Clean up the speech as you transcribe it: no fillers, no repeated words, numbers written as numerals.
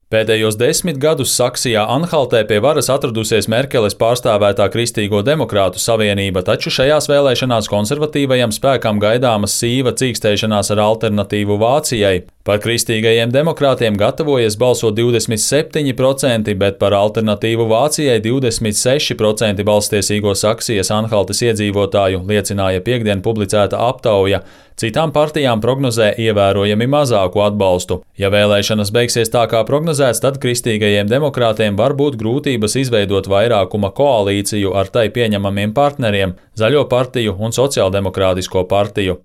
Pēdējos 10 gadus Saksijā-Anhaltē pie varas atradusies Merkeles pārstāvētā Kristīgo demokrātu savienība, taču šajās vēlēšanās konservatīvajam spēkam gaidāmas sīva cīkstēšanās ar alternatīvu Vācijai. Par kristīgajiem demokrātiem gatavojas balsot 27%, bet par alternatīvu Vācijai 26% balstiesīgo Saksijas-Anhaltes iedzīvotāju, liecināja piektdien publicēta aptauja. Citām partijām prognozē ievērojami mazāku atbalstu. Ja vēlēšanas beigsies tā kā prognozēts, tad kristīgajiem demokrātiem var būt grūtības izveidot vairākuma koalīciju ar tai pieņemamiem partneriem – Zaļo partiju un Sociāldemokrātisko partiju.